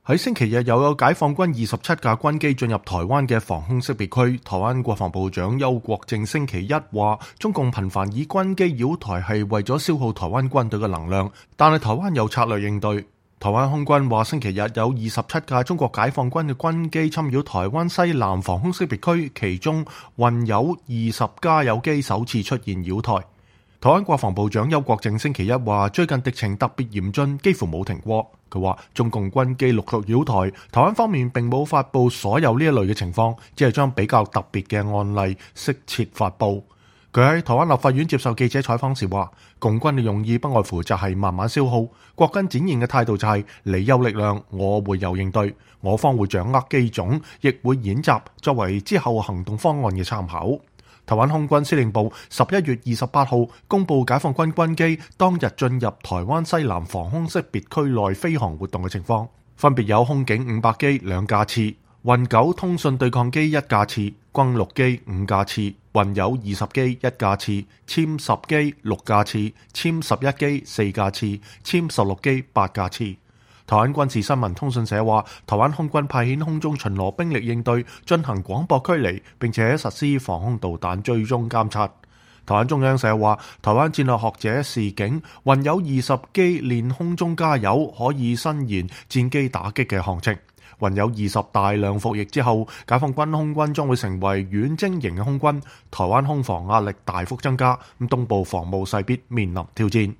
喺星期日又有解放軍27架軍機進入台灣嘅防空識別區。台灣國防部長邱國正星期一話，中共頻繁以軍機擾台係為咗消耗台灣軍隊嘅能量，但係台灣有策略應對。台灣空軍話，星期日有27架中國解放軍嘅軍機侵擾台灣西南防空識別區，其中運有20加油機首次出現擾台。台灣國防部長邱國正星期一話，最近敵情特別嚴峻，幾乎冇停過。佢話中共軍機陸續擾台，台灣方面並冇發布所有呢一類嘅情況，只係將比較特別嘅案例適切發布。佢喺台灣立法院接受記者採訪時話，共軍嘅用意不外乎就係慢慢消耗，國軍展現嘅態度就係你有力量，我會有應對，我方會掌握機種，亦會演習，作為之後行動方案嘅參考。台灣空軍司令部11月28號公布解放軍軍機當日進入台灣西南防空識別區內飛行活動嘅情況，分別有空警500機2架次、運9通訊對抗機1架次、轟6機5架次、運有20機1架次、殲10機6架次、殲11機4架次、殲16機8架次。台灣軍事新聞通訊社話，台灣空軍派遣空中巡邏兵力應對，進行廣播驅離，並且實施防空導彈追蹤監察。台灣中央社話，台灣戰略學者示警，運有20機練空中加油，可以伸延戰機打擊嘅航程。運有20大量服役之後，解放軍空軍將會成為遠征型嘅空軍，台灣空防壓力大幅增加，東部防務勢必面臨挑戰。